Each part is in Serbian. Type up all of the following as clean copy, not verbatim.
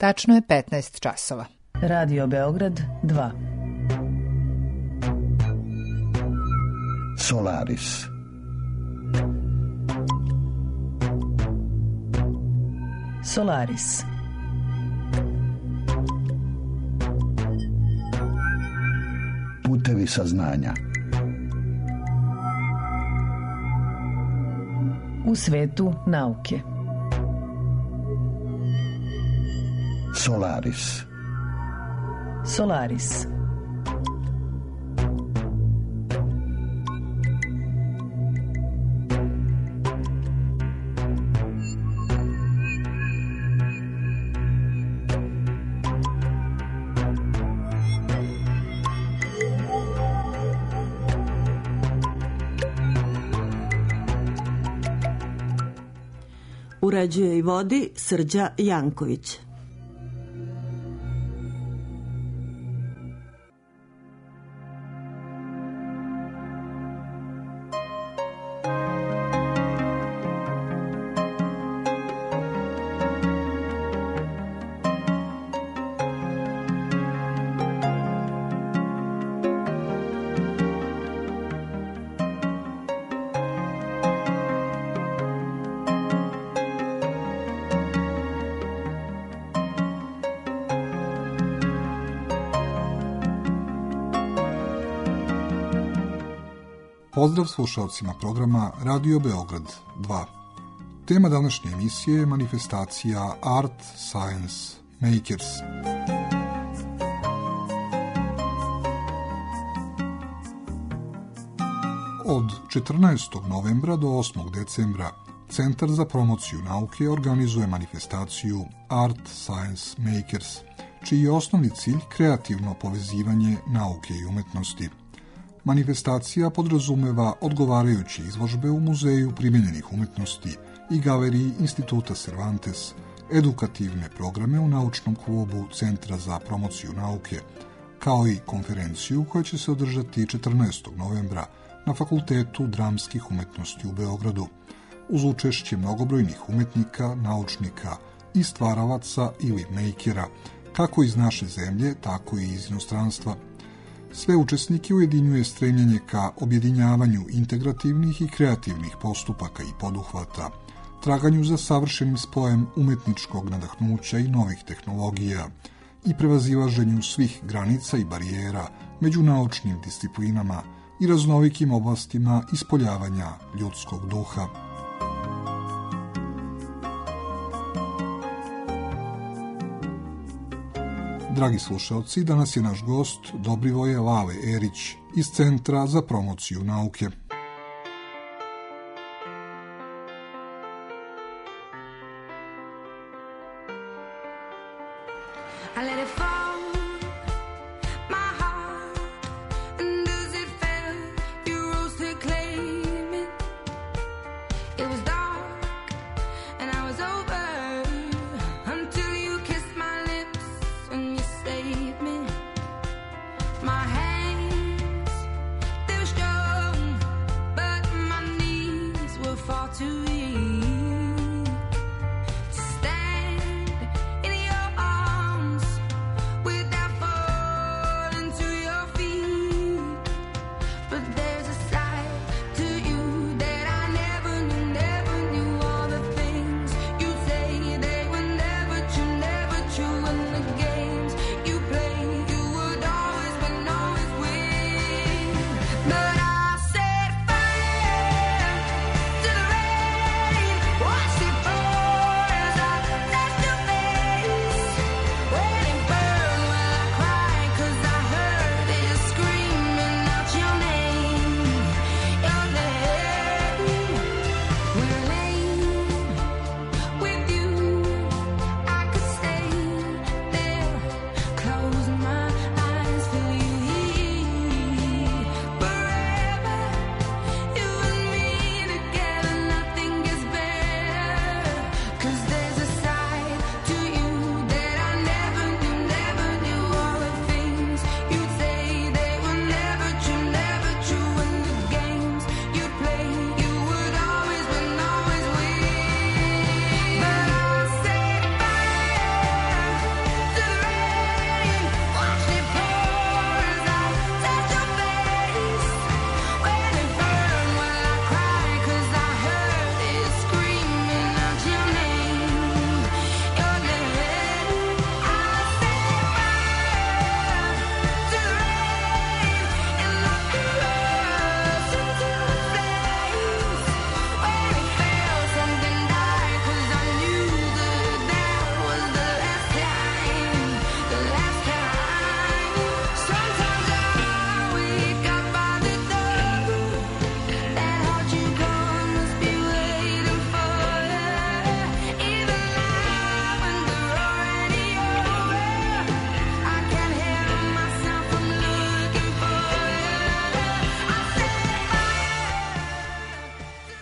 Tačno je 15 časova. Radio Beograd 2. Solaris. Solaris. Putevi saznanja. U svetu nauke. Solaris. Solaris. Uređuje i vodi Srđa Janković. Pozdrav slušalcima programa Radio Beograd 2. Tema današnje emisije je manifestacija Art Science Makers. Od 14. novembra do 8. decembra Centar za promociju nauke organizuje manifestaciju Art Science Makers, čiji je osnovni cilj kreativno povezivanje nauke i umetnosti. Manifestacija podrazumeva odgovarajuće izložbe u Muzeju primijenjenih umetnosti i galeriji Instituta Cervantes, edukativne programe u naučnom klubu Centra za promociju nauke, kao i konferenciju koja će se održati 14. novembra na Fakultetu dramskih umetnosti u Beogradu, uz učešće mnogobrojnih umetnika, naučnika i stvaralaca ili makera, kako iz naše zemlje, tako i iz inostranstva. Sve učesnike ujedinjuje stremljenje ka objedinjavanju integrativnih i kreativnih postupaka i poduhvata, traganju za savršenim spojem umetničkog nadahnuća i novih tehnologija i prevazilaženju svih granica i barijera među naučnim disciplinama i raznovikim oblastima ispoljavanja ljudskog duha. Dragi slušalci, danas je naš gost Dobrivoje Lale Erić iz Centra za promociju nauke.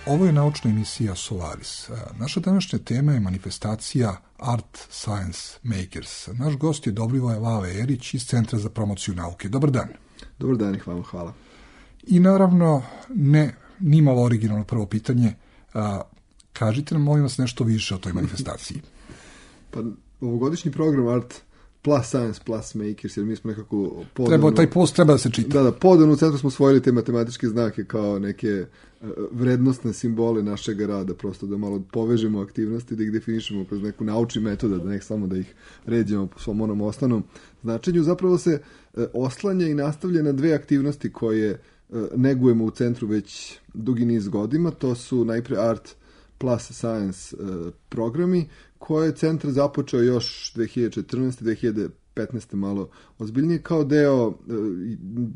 Ovo je naučna emisija Solaris. Naša današnja tema je manifestacija Art Science Makers. Naš gost je Dobrivoje Lale Erić iz Centra za promociju nauke. Dobar dan. Dobar dan i hvala. I naravno, nimalo originalno prvo pitanje, kažite nam, molim vas, nešto više o toj manifestaciji. Pa, ovogodišnji program Art plus Science plus Makers, jer mi smo nekako Taj post treba da se čita. Da, podano u centru smo osvojili te matematičke znake kao neke vrednostne simbole našeg rada, prosto da malo povežemo aktivnosti, da ih definišemo kroz neku naučni metoda, da ne samo da ih ređemo po svom onom osnovnom značenju. Zapravo se oslanja i nastavlja na dve aktivnosti koje negujemo u centru već dugi niz godina. To su najpre Art plus Science programi koje je centar započeo još 2014. 2015. malo ozbiljnije kao deo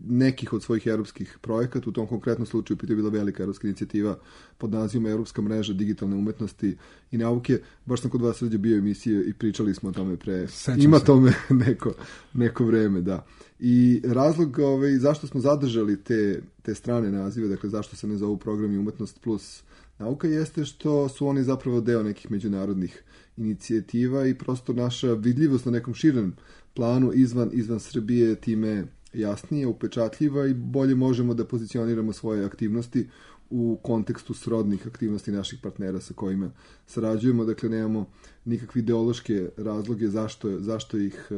nekih od svojih europskih projekata. U tom konkretnom slučaju je bila velika europska inicijativa pod nazivom Europska mreža digitalne umetnosti i nauke. Baš sam kod vas ovdje bio emisije i pričali smo o tome ima tome neko vreme, da. I razlog zašto smo zadržali te strane nazive, dakle zašto se ne zovu programi umetnost plus nauka, jeste što su oni zapravo deo nekih međunarodnih inicijativa i prosto naša vidljivost na nekom širem planu izvan Srbije time jasnije, upečatljiva i bolje možemo da pozicioniramo svoje aktivnosti u kontekstu srodnih aktivnosti naših partnera sa kojima sarađujemo. Dakle, nemamo nikakve ideološke razloge zašto ih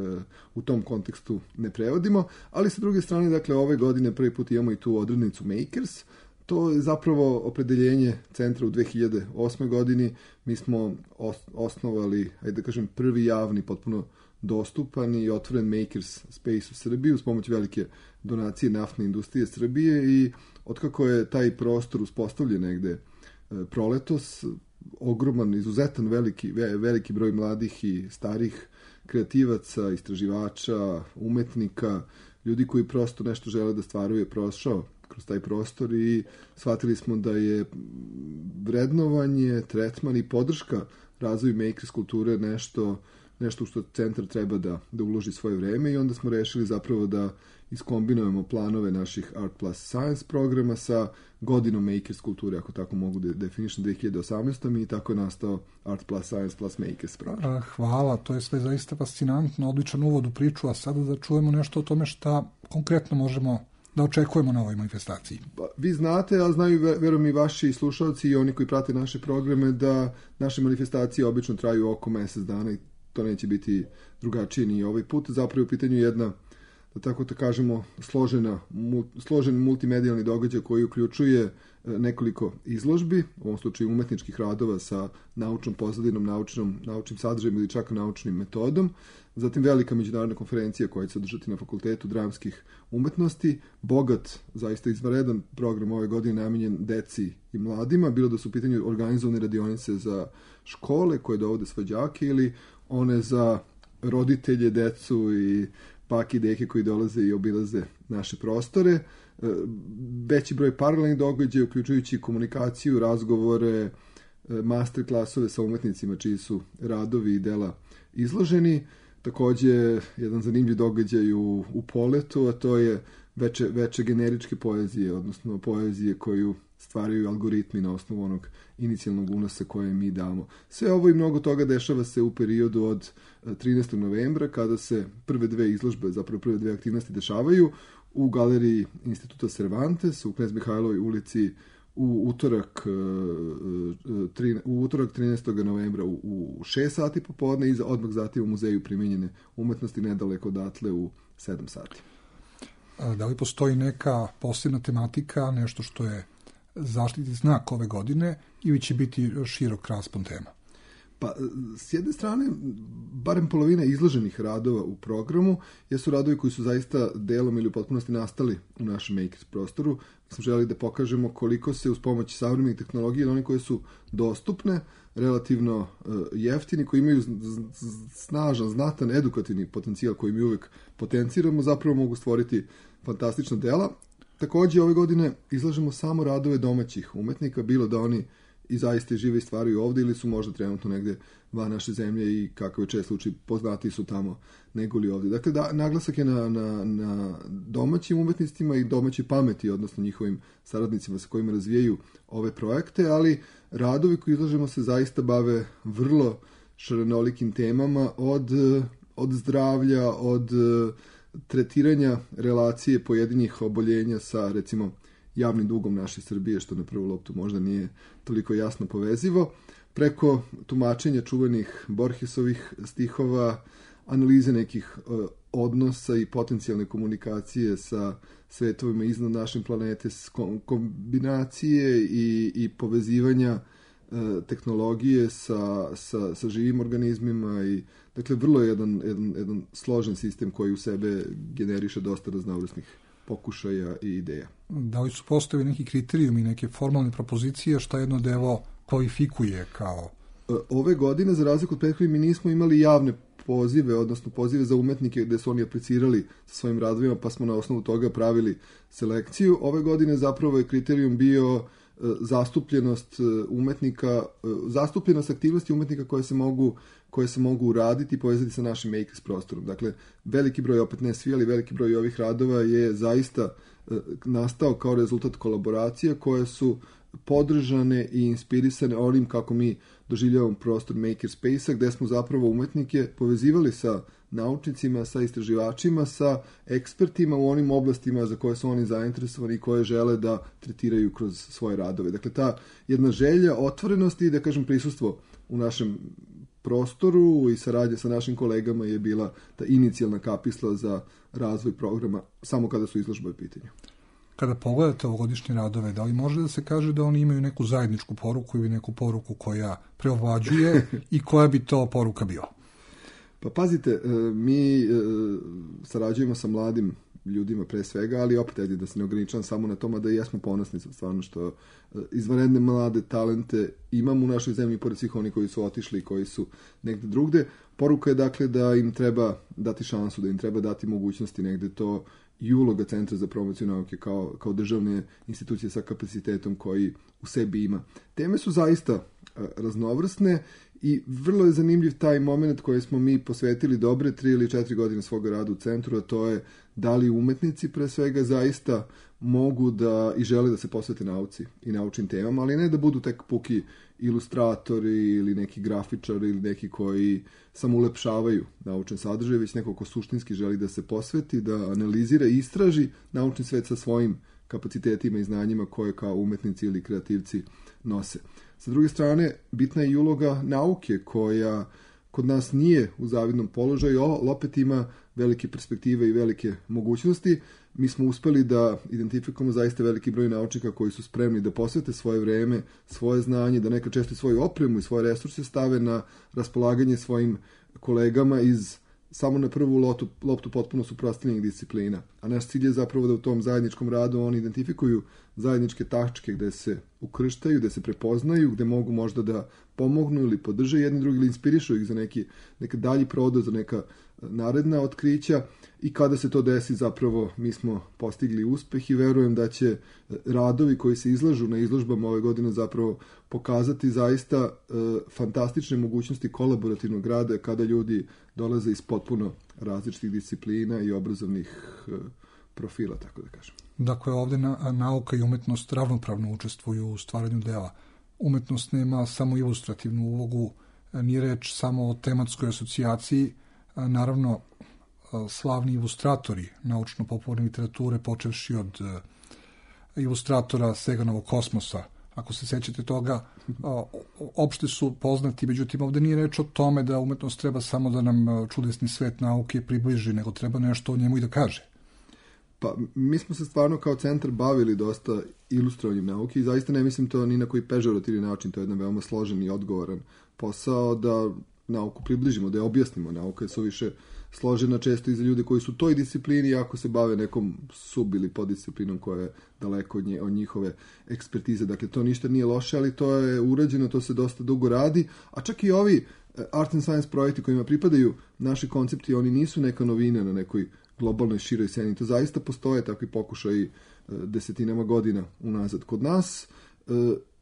u tom kontekstu ne prevodimo, ali sa druge strane, dakle, ove godine prvi put imamo i tu odrednicu Makers. To je zapravo opredeljenje centra u 2008. godini. Mi smo osnovali, prvi javni, potpuno dostupan i otvoren Makers Space u Srbiji uz pomoć velike donacije naftne industrije Srbije i otkako je taj prostor uspostavljen negde proletos, ogroman, izuzetan veliki broj mladih i starih kreativaca, istraživača, umetnika, ljudi koji prosto nešto žele da stvaraju je prošao kroz taj prostor i shvatili smo da je vrednovanje, tretman i podrška razvoju makers kulture nešto što centar treba da uloži svoje vreme i onda smo rešili zapravo da iskombinujemo planove naših Art plus Science programa sa godinom makers kulture, ako tako mogu da definišem, 2018. i tako je nastao Art plus Science plus Makers program. Hvala, to je sve zaista fascinantno, odličan uvod u priču, a sada da čujemo nešto o tome šta konkretno možemo da očekujemo na ovoj manifestaciji. Vi znate, a znaju verujem i vaši slušalci i oni koji prate naše programe, da naše manifestacije obično traju oko mjesec dana i to neće biti drugačije ni ovaj put. Zapravo u pitanju jedna, da tako da kažemo, složen multimedijalni događaj koji uključuje nekoliko izložbi, u ovom slučaju umetničkih radova sa naučnom pozadinom, naučnim sadržajem ili čak naučnim metodom. Zatim velika međunarodna konferencija koja će se održati na Fakultetu dramskih umetnosti. Bogat, zaista izvanredan program ove godine namenjen deci i mladima, bilo da su u pitanju organizovane radionice za škole koje dovode svoje đake ili one za roditelje, decu i bake i deke koji dolaze i obilaze naše prostore. Veći broj paralelnih događaja, uključujući komunikaciju, razgovore, master klasove sa umetnicima čiji su radovi i dela izloženi. Također, jedan zanimljiv događaj u Poletu, a to je veče generičke poezije, odnosno poezije koju stvaraju algoritmi na osnovu onog inicijalnog unosa koje mi damo. Sve ovo i mnogo toga dešava se u periodu od 13. novembra, kada se prve dve izložbe, zapravo prve dve aktivnosti dešavaju u galeriji Instituta Cervantes u Knez Mihajlovoj ulici u utorak 13. novembra u 6 sati popodne i odmah zatim u Muzeju primijenjene umetnosti nedaleko odatle u 7 sati. Da li postoji neka posebna tematika, nešto što je zaštitni znak ove godine ili će biti širok raspon tema? Pa, s jedne strane, barem polovina izloženih radova u programu jesu radovi koji su zaista delom ili u potpunosti nastali u našem makers prostoru. Mi smo želeli da pokažemo koliko se uz pomoć savremenih tehnologija, one koje su dostupne, relativno jeftini, koji imaju snažan, znatan edukativni potencijal koji mi uvek potenciramo, zapravo mogu stvoriti fantastična dela. Također, ove godine izlažemo samo radove domaćih umetnika, bilo da oni i zaista žive i stvaraju ovdje ili su možda trenutno negdje van naše zemlje i kakav je čest slučaj poznatiji su tamo nego li ovdje. Dakle, naglasak je na domaćim umetnicima i domaćoj pameti, odnosno njihovim saradnicima sa kojima razvijaju ove projekte, ali radovi koji izlažemo se zaista bave vrlo šarenolikim temama od zdravlja, od tretiranja relacije pojedinih oboljenja sa, recimo, javnim dugom naše Srbije, što na prvu loptu možda nije toliko jasno povezivo, preko tumačenja čuvenih Borgesovih stihova, analize nekih odnosa i potencijalne komunikacije sa svetovima iznad naše planete, kombinacije i povezivanja tehnologije sa živim organizmima i dakle vrlo je jedan složen sistem koji u sebe generiše dosta raznovrsnih pokušaja i ideja. Da li su postavili neki kriterijumi, neke formalne propozicije šta jedno devo kvalifikuje kao? Ove godine, za razliku od prethodnih, mi nismo imali javne pozive, odnosno pozive za umetnike gde su oni aplicirali sa svojim radovima, pa smo na osnovu toga pravili selekciju. Ove godine zapravo je kriterijum bio zastupljenost umetnika, zastupljenost aktivnosti umetnika koje se mogu uraditi i povezati sa našim makers prostorom. Dakle, veliki broj, opet ne svi, ali veliki broj ovih radova je zaista nastao kao rezultat kolaboracija koje su podržane i inspirisane onim kako mi doživljavamo prostor makerspace-a, gde smo zapravo umetnike povezivali sa naučnicima, sa istraživačima, sa ekspertima u onim oblastima za koje su oni zainteresovani i koje žele da tretiraju kroz svoje radove. Dakle, ta jedna želja otvorenosti i, da kažem, prisustvo u našem prostoru i saradnja sa našim kolegama je bila ta inicijalna kapisla za razvoj programa samo kada su izložbe u pitanju. Kada pogledate ovogodišnje radove, da li može da se kaže da oni imaju neku zajedničku poruku ili neku poruku koja preovlađuje i koja bi to poruka bila? Pa pazite, mi sarađujemo sa mladim ljudima pre svega, ali opet ajde da se ne ograničam samo na tome da i jesmo ponosni stvarno što izvanredne mlade talente imamo u našoj zemlji pored svih oni koji su otišli i koji su negde drugde. Poruka je dakle da im treba dati šansu, da im treba dati mogućnosti negde to i uloga Centra za promociju nauke kao državne institucije sa kapacitetom koji u sebi ima. Teme su zaista raznovrsne i vrlo je zanimljiv taj moment koji smo mi posvetili dobre 3 ili 4 godine svoga rada u centru, a to je da li umetnici pre svega zaista mogu da i žele da se posvete nauci i naučnim temama, ali ne da budu tek puki ilustratori ili neki grafičari ili neki koji samo ulepšavaju naučne sadržaje, već neko ko suštinski želi da se posveti, da analizira i istraži naučni svet sa svojim kapacitetima i znanjima koje kao umetnici ili kreativci nose. Sa druge strane, bitna je i uloga nauke koja kod nas nije u zavidnom položaju, ali opet ima velike perspektive i velike mogućnosti. Mi smo uspeli da identifikujemo zaista veliki broj naučnika koji su spremni da posvete svoje vreme, svoje znanje, da nekad često svoju opremu i svoje resurse stave na raspolaganje svojim kolegama iz samo na prvu loptu potpuno suprotstavljenih disciplina. A naš cilj je zapravo da u tom zajedničkom radu oni identifikuju zajedničke tačke gde se ukrštaju, gde se prepoznaju, gde mogu možda da pomognu ili podrže jedni drugi ili inspirišu ih za neki dalji prodor, za neka naredna otkrića i kada se to desi zapravo mi smo postigli uspeh i verujem da će radovi koji se izlažu na izložbama ove godine zapravo pokazati zaista fantastične mogućnosti kolaborativnog rada kada ljudi dolaze iz potpuno različitih disciplina i obrazovnih profila, tako da kažem. Dakle, ovdje nauka i umetnost ravnopravno učestvuju u stvaranju dela. Umetnost nema samo ilustrativnu ulogu, nije reč samo o tematskoj asocijaciji. Naravno, slavni ilustratori naučno-popularne literature, počevši od ilustratora Seganovog Kosmosa, ako se sećate toga, opšte su poznati, međutim ovdje nije reč o tome da umetnost treba samo da nam čudesni svet nauke približi, nego treba nešto o njemu i da kaže. Pa, mi smo se stvarno kao centar bavili dosta ilustrovanjem nauke i zaista ne mislim to ni na koji pežorativni način, to je jedan veoma složen i odgovoran posao da nauku približimo, da je objasnimo. Nauka je suviše složena često i za ljude koji su u toj disciplini, ako se bave nekom sub ili poddisciplinom koja je daleko od njihove ekspertize. Dakle, to ništa nije loše, ali to je urađeno, to se dosta dugo radi, a čak i ovi art and science projekti kojima pripadaju naši koncepti, oni nisu neka novina na nekoj globalnoj široj sceni. To zaista postoje takvi pokušaji desetinama godina unazad. Kod nas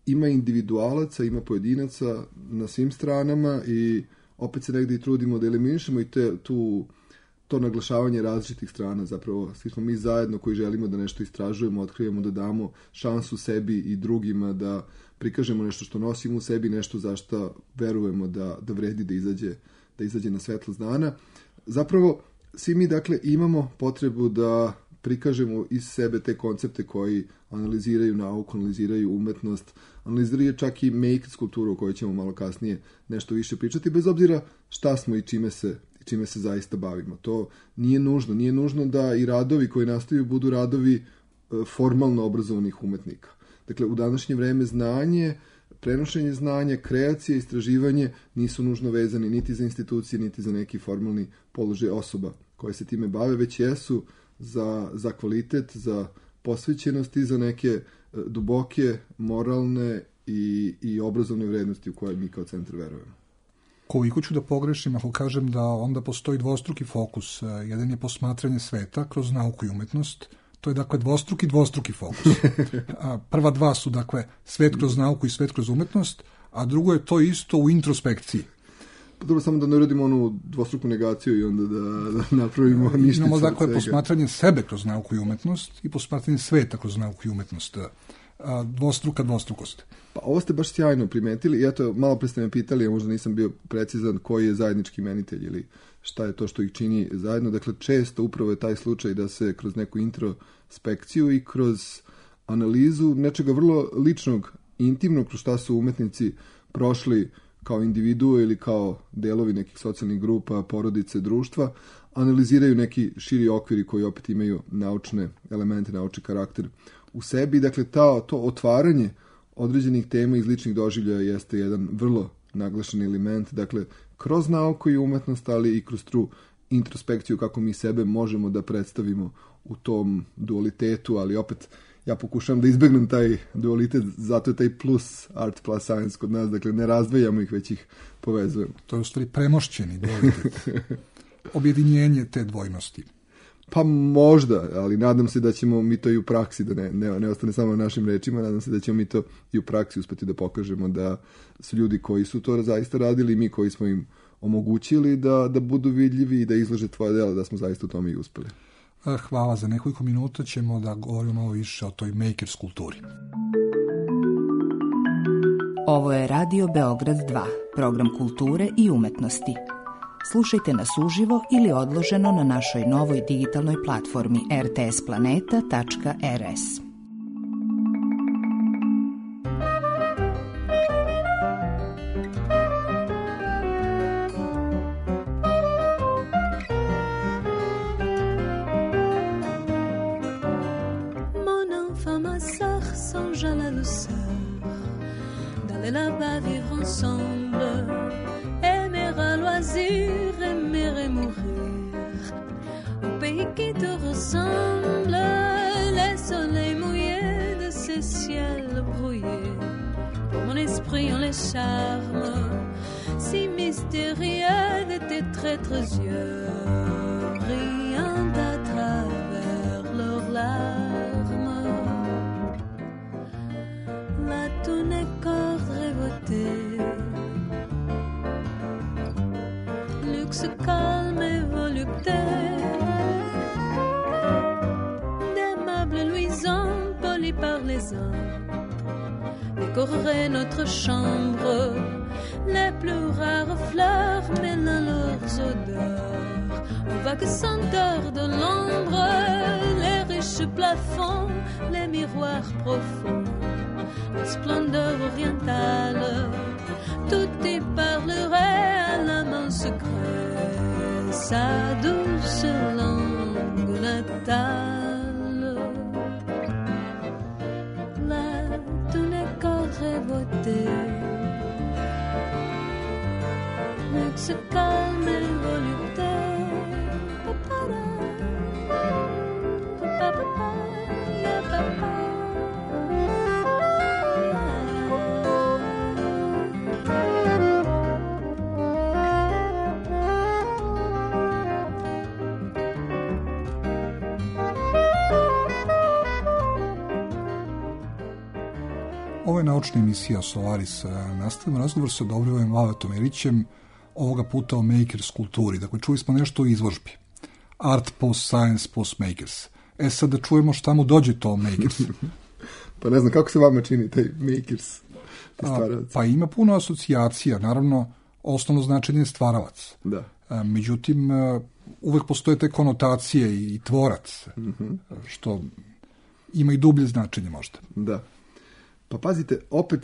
ima individualaca, ima pojedinaca na svim stranama i opet se negdje i trudimo da eliminišemo i to naglašavanje različitih strana. Zapravo svi smo mi zajedno koji želimo da nešto istražujemo, otkrivamo, da damo šansu sebi i drugima, da prikažemo nešto što nosimo u sebi, nešto za što verujemo da vredi da izađe na svetlost dana. Zapravo svi mi dakle imamo potrebu da prikažemo iz sebe te koncepte koji analiziraju nauku, analiziraju umetnost, analiziraju čak i makers kulturu o kojoj ćemo malo kasnije nešto više pričati, bez obzira šta smo i čime se zaista bavimo. To nije nužno. Nije nužno da i radovi koji nastaju budu radovi formalno obrazovanih umetnika. Dakle, u današnje vreme znanje, prenošenje znanja, kreacija, istraživanje nisu nužno vezani niti za institucije, niti za neki formalni položaj osoba koje se time bave, već jesu za kvalitet, za posvećenost i za neke duboke, moralne i obrazovne vrednosti u koje mi kao centar verujemo. Koliko ću da pogrešim ako kažem da onda postoji dvostruki fokus. Jedan je posmatranje sveta kroz nauku i umetnost. To je dakle dvostruki fokus. Prva dva su dakle svet kroz nauku i svet kroz umetnost, a drugo je to isto u introspekciji. Dobro, samo da ne uradimo onu dvostruku negaciju i onda da napravimo ništa. Imamo dakle posmatranje sebe kroz nauku i umetnost i posmatranje sveta kroz nauku i umetnost. Dvostrukost. Pa ovo ste baš sjajno primetili i eto, malo pre ste me pitali, a možda nisam bio precizan koji je zajednički imenitelj ili šta je to što ih čini zajedno. Dakle, često upravo je taj slučaj da se kroz neku introspekciju i kroz analizu nečega vrlo ličnog, intimnog, kroz šta su umetnici prošli kao individue ili kao delovi nekih socijalnih grupa, porodice, društva, analiziraju neki širi okviri koji opet imaju naučne elemente, naučni karakter u sebi. Dakle, to otvaranje određenih tema iz ličnih doživljaja jeste jedan vrlo naglašen element. Dakle, kroz nauku i umetnost, ali i kroz tu introspekciju kako mi sebe možemo da predstavimo u tom dualitetu, ali opet ja pokušavam da izbegnem taj dualitet, zato je taj plus art plus science kod nas, dakle ne razdvajamo ih, već ih povezujemo. To je u stvari premošćeni dualitet, objedinjenje te dvojnosti. Pa možda, ali nadam se da ćemo mi to i u praksi, da ne ostane samo na našim rečima, nadam se da ćemo mi to i u praksi uspeti da pokažemo da su ljudi koji su to zaista radili i mi koji smo im omogućili da budu vidljivi i da izlože tvoje dela, da smo zaista u tome i uspeli. Hvala, za nekoliko minuta ćemo da govorimo malo više o toj makers kulturi. Ovo je Radio Beograd 2, program kulture i umetnosti. Slušajte nas uživo ili odloženo na našoj novoj digitalnoj platformi rtsplaneta.rs. Décorerait notre chambre, les plus rares fleurs mêlant leurs odeurs, aux vagues senteurs de l'ombre, les riches plafonds, les miroirs profonds, la splendeur orientale, tout y parlerait à la main secrète, sa douce langue natale. Se calme et volupté. Ovo je naučna emisija Solaris. Nastavimo razgovor sa Dobrivojem Valetom Erićem, ovoga puta o makers kulturi. Dakle, čuli smo nešto o izložbi. Art post science post makers. Sad da čujemo šta mu dođe to makers. Pa ne znam, kako se vama čini taj makers? Pa ima puno asocijacija. Naravno, osnovno značenje je stvaralac. Da. Međutim, uvek postoje te konotacije i tvorac, što ima i dublje značenje možda. Da. Pa pazite, opet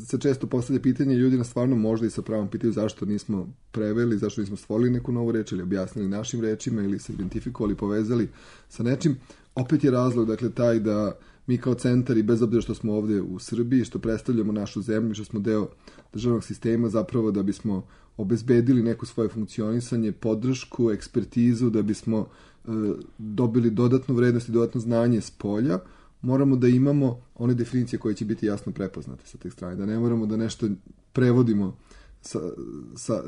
se često postavlja pitanje, ljudi nas stvarno možda i sa pravom pitaju zašto nismo preveli, zašto nismo stvorili neku novu reč ili objasnili našim rečima ili se identifikovali, povezali sa nečim. Opet je razlog, dakle, taj da mi kao centar i bez obzira što smo ovdje u Srbiji, što predstavljamo našu zemlju, što smo deo državnog sistema, zapravo da bismo obezbedili neko svoje funkcionisanje, podršku, ekspertizu, da bismo dobili dodatnu vrednost i dodatno znanje s polja, moramo da imamo one definicije koje će biti jasno prepoznate sa te strane, da ne moramo da nešto prevodimo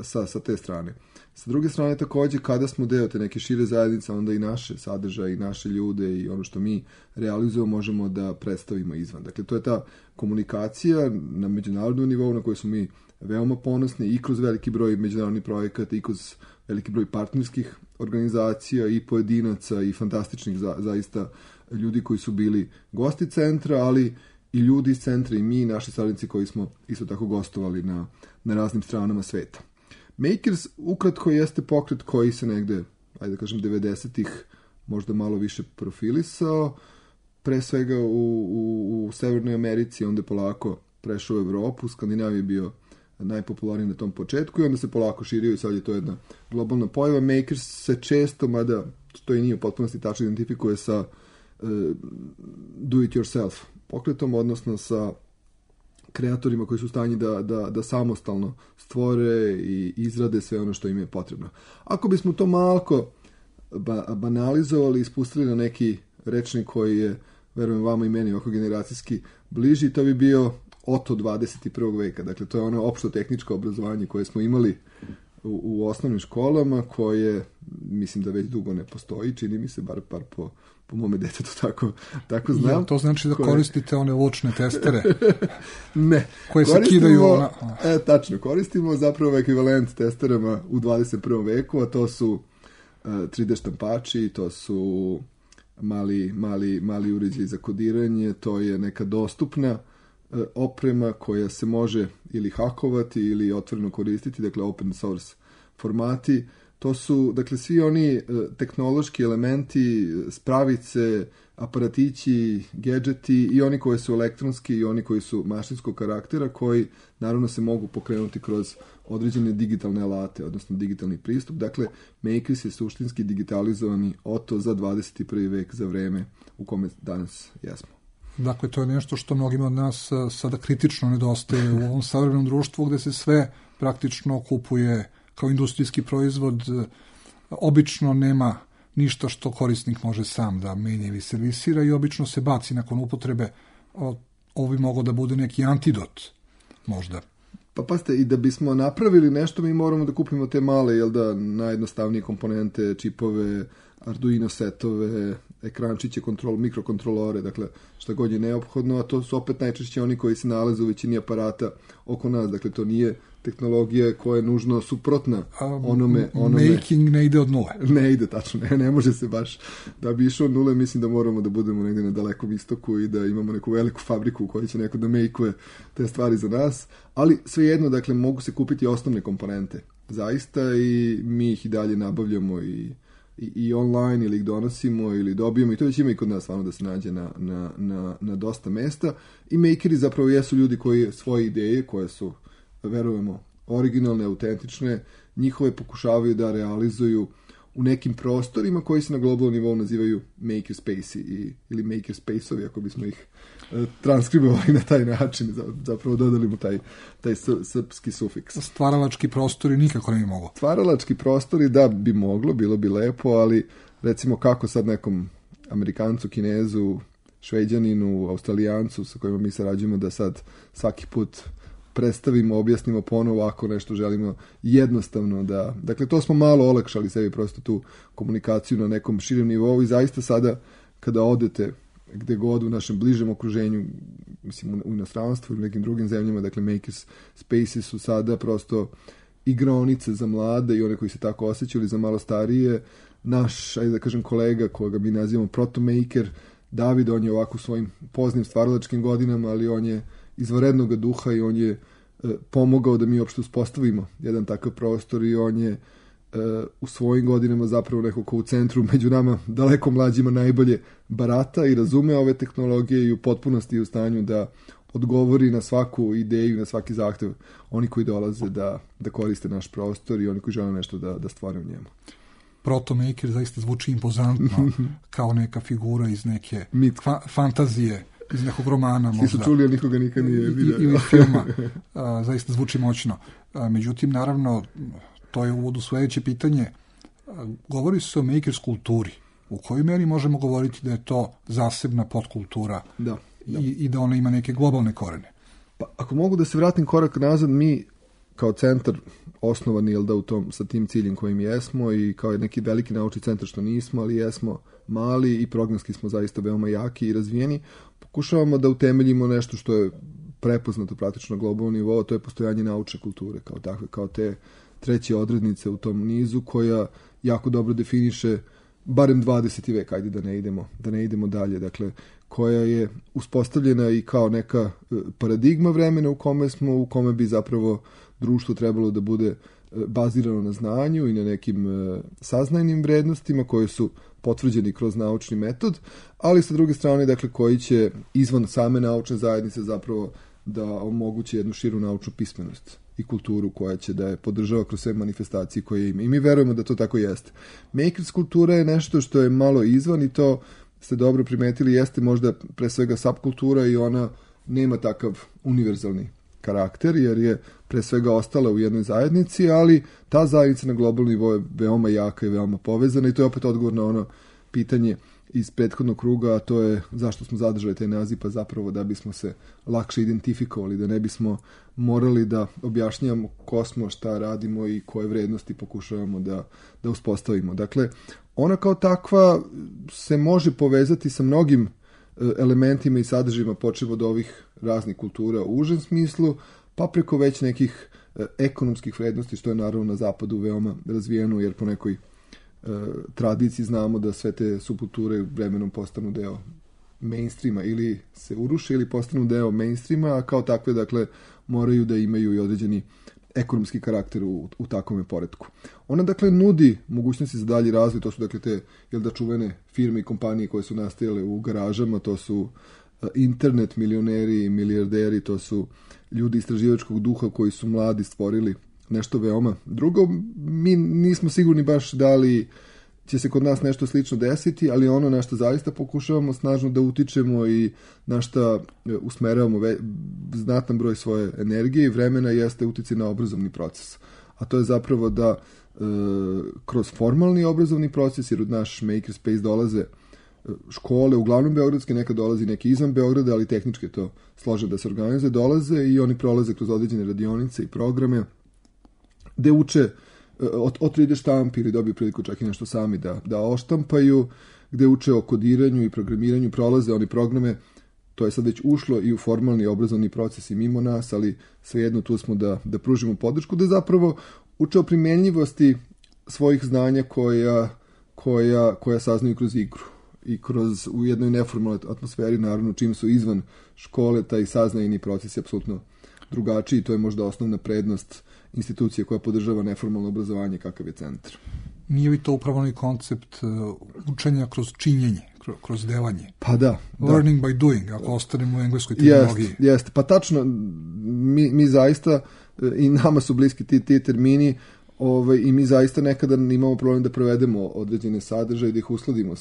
sa te strane. Sa druge strane, također, kada smo deo te neke šire zajednice, onda i naše sadržaje i naše ljude i ono što mi realizujemo možemo da predstavimo izvan. Dakle, to je ta komunikacija na međunarodnom nivou na kojoj smo mi veoma ponosni i kroz veliki broj međunarodnih projekata i kroz veliki broj partnerskih organizacija i pojedinaca i fantastičnih zaista ljudi koji su bili gosti centra, ali i ljudi iz centra i mi, naši saradnici koji smo isto tako gostovali na raznim stranama sveta. Makers ukratko jeste pokret koji se negde, ajde da kažem, 90-ih možda malo više profilisao, pre svega u Severnoj Americi, onda je polako prešao u Evropu, u Skandinaviji je bio najpopularniji na tom početku i onda se polako širio i sad je to jedna globalna pojava. Makers se često, mada to i nije u potpunosti tačno, identifikuje sa do it yourself pokretom, odnosno sa kreatorima koji su u stanju da samostalno stvore i izrade sve ono što im je potrebno. Ako bismo to malko banalizovali i spustili na neki rečnik koji je, verujem vama i meni, oko generacijski bliži, to bi bio Oto 21. veka. Dakle, to je ono opšto tehničko obrazovanje koje smo imali u osnovnim školama, koje mislim da već dugo ne postoji, čini mi se, bar po mome detetu tako znam. Ja, to znači da koristite one vučne testere? Ne. Koje se kidaju ona... Tačno, koristimo zapravo ekvivalent testerama u 21. veku, a to su 3D štampači, to su mali uređaji za kodiranje, to je neka dostupna oprema koja se može ili hakovati ili otvoreno koristiti, dakle open source formati. To su, dakle, svi oni tehnološki elementi, spravice, aparatići, gadgeti i oni koji su elektronski i oni koji su mašinskog karaktera, koji naravno se mogu pokrenuti kroz određene digitalne alate, odnosno digitalni pristup. Dakle, Makers je suštinski digitalizovani Oto za 21. vek, za vreme u kome danas jesmo. Dakle, to je nešto što mnogima od nas sada kritično nedostaje u ovom savremenom društvu gde se sve praktično kupuje kao industrijski proizvod. Obično nema ništa što korisnik može sam da menja ili servisira i obično se baci nakon upotrebe. Ovo bi moglo da bude neki antidot možda. Pa pazite, i da bismo napravili nešto, mi moramo da kupimo te male, najjednostavnije komponente, čipove, Arduino setove, ekrančiće, mikrokontrolore, dakle šta god je neophodno, a to su opet najčešće oni koji se nalaze u većini aparata oko nas, dakle to nije tehnologija koja je nužno suprotna onome. Making ne ide od nule. Ne ide, tačno, ne može se baš. Da bi išao od nule, mislim da moramo da budemo negdje na dalekom istoku i da imamo neku veliku fabriku u kojoj će neko da makeuje te stvari za nas, ali svejedno, dakle, mogu se kupiti osnovne komponente, zaista, i mi ih i dalje nabavljamo i online, ili ih donosimo ili dobijemo, i to već ima i kod nas stvarno da se nađe na dosta mesta. I makeri zapravo jesu ljudi koji svoje ideje, koje su, verujemo, originalne, autentične, njihove pokušavaju da realizuju u nekim prostorima koji se na globalnom nivou nazivaju makerspace ili makerspace-ovi, ako bismo ih transkribovali na taj način, zapravo dodali mu taj srpski sufiks. Stvaralački prostori nikako ne bi moglo. Stvaralački prostori, da, bi moglo, bilo bi lepo, ali recimo kako sad nekom Amerikancu, Kinezu, Šveđaninu, Australijancu sa kojima mi sarađujemo da sad svaki put predstavimo, objasnimo ponovo ako nešto želimo jednostavno da... Dakle, to smo malo olakšali sebi prosto tu komunikaciju na nekom širem nivou i zaista sada kada odete gde god u našem bližem okruženju, mislim u inostranstvu ili nekim drugim zemljama, dakle makers spaces su sada prosto igraonice za mlade i one koji se tako osjećali, za malo starije. Naš, ajde da kažem, kolega koga mi nazivamo protomaker, David, on je ovako svojim poznim stvaralačkim godinama, ali on je izvanrednog duha i on je pomogao da mi uopšte uspostavimo jedan takav prostor i on je u svojim godinama zapravo neko ko u centru među nama daleko mlađima najbolje barata i razume ove tehnologije i u potpunosti je u stanju da odgovori na svaku ideju, na svaki zahtev oni koji dolaze da koriste naš prostor i oni koji žele nešto da stvore u njemu. Protomaker zaista zvuči impozantno kao neka figura iz neke fantazije, iz nekog romana možda. Svi su čuli, a nikoga nikad nije vidio. Ili filma. Zaista zvuči moćno. Međutim, naravno, to je u uvodu sledeće pitanje. Govori se o makers kulturi. U kojoj meri možemo govoriti da je to zasebna podkultura i da ona ima neke globalne korene? Pa, ako mogu da se vratim korak nazad, mi kao centar osnovani, jel da, sa tim ciljem kojim jesmo i kao neki veliki naučni centar što nismo, ali jesmo mali i programski smo zaista veoma jaki i razvijeni, pokušavamo da utemeljimo nešto što je prepoznato praktično na globalnom nivou, to je postojanje naučne kulture kao takve, kao te treće odrednice u tom nizu koja jako dobro definiše barem 20. vek, ajde da ne idemo dalje, dakle, koja je uspostavljena i kao neka paradigma vremena u kome bi zapravo društvo trebalo da bude bazirano na znanju i na nekim saznajnim vrednostima koje su potvrđeni kroz naučni metod, ali sa druge strane, dakle, koji će izvan same naučne zajednice zapravo da omogući jednu širu naučnu pismenost i kulturu koja će da je podržava kroz sve manifestacije koje ima. I mi verujemo da to tako jeste. Makers kultura je nešto što je malo izvan i to ste dobro primetili, jeste možda pre svega subkultura i ona nema takav univerzalni karakter, jer je pre svega ostala u jednoj zajednici, ali ta zajednica na globalnom nivou je veoma jaka i veoma povezana i to je opet odgovor na ono pitanje iz prethodnog kruga, a to je zašto smo zadržali taj naziv, pa zapravo da bismo se lakše identifikovali, da ne bismo morali da objašnjavamo ko smo, šta radimo i koje vrednosti pokušavamo da uspostavimo. Dakle, ona kao takva se može povezati sa mnogim elementima i sadržajima, počev od ovih raznih kultura u užem smislu, pa preko već nekih ekonomskih vrednosti, što je naravno na zapadu veoma razvijeno, jer po nekoj tradiciji znamo da sve te subkulture vremenom postanu deo mainstreama, ili se uruše ili postanu deo mainstreama, a kao takve, dakle, moraju da imaju i određeni ekonomski karakter u takvom poretku. Ona, dakle, nudi mogućnosti za dalji razvoj, to su, dakle, te, čuvene firme i kompanije koje su nastajale u garažama, to su internet milioneri i milijarderi, to su ljudi istraživačkog duha koji su mladi stvorili nešto veoma drugo. Mi nismo sigurni baš da li će se kod nas nešto slično desiti, ali ono na što zaista pokušavamo snažno da utičemo i na što usmeravamo znatan broj svoje energije i vremena jeste uticaj na obrazovni proces. A to je zapravo da kroz formalni obrazovni proces, jer od naš makerspace dolaze škole, uglavnom beogradske, nekad dolazi neki izvan Beograda, ali tehnički to složeno da se organizuje, dolaze i oni prolaze kroz određene radionice i programe gde uče od 3D štampi ili dobiju priliku čak i nešto sami da oštampaju, gde uče o kodiranju i programiranju, prolaze oni programe, to je sad već ušlo i u formalni obrazovni proces i mimo nas, ali svejedno tu smo da pružimo podršku, da zapravo uče o primenljivosti svojih znanja koja saznaju kroz igru i u jednoj neformalnoj atmosferi, naravno čim su izvan škole, taj saznajni proces je apsolutno drugačiji, to je možda osnovna prednost institucije koja podržava neformalno obrazovanje kakav je centar. Nije li to upravo onaj koncept učenja kroz činjenje, kroz delanje? Pa da. Learning by doing, ako ostanemo u engleskoj terminologiji. Jeste, pa tačno, mi zaista, i nama su bliski ti termini, i mi zaista nekada imamo problem da provedemo određene sadržaje, da ih uskladimo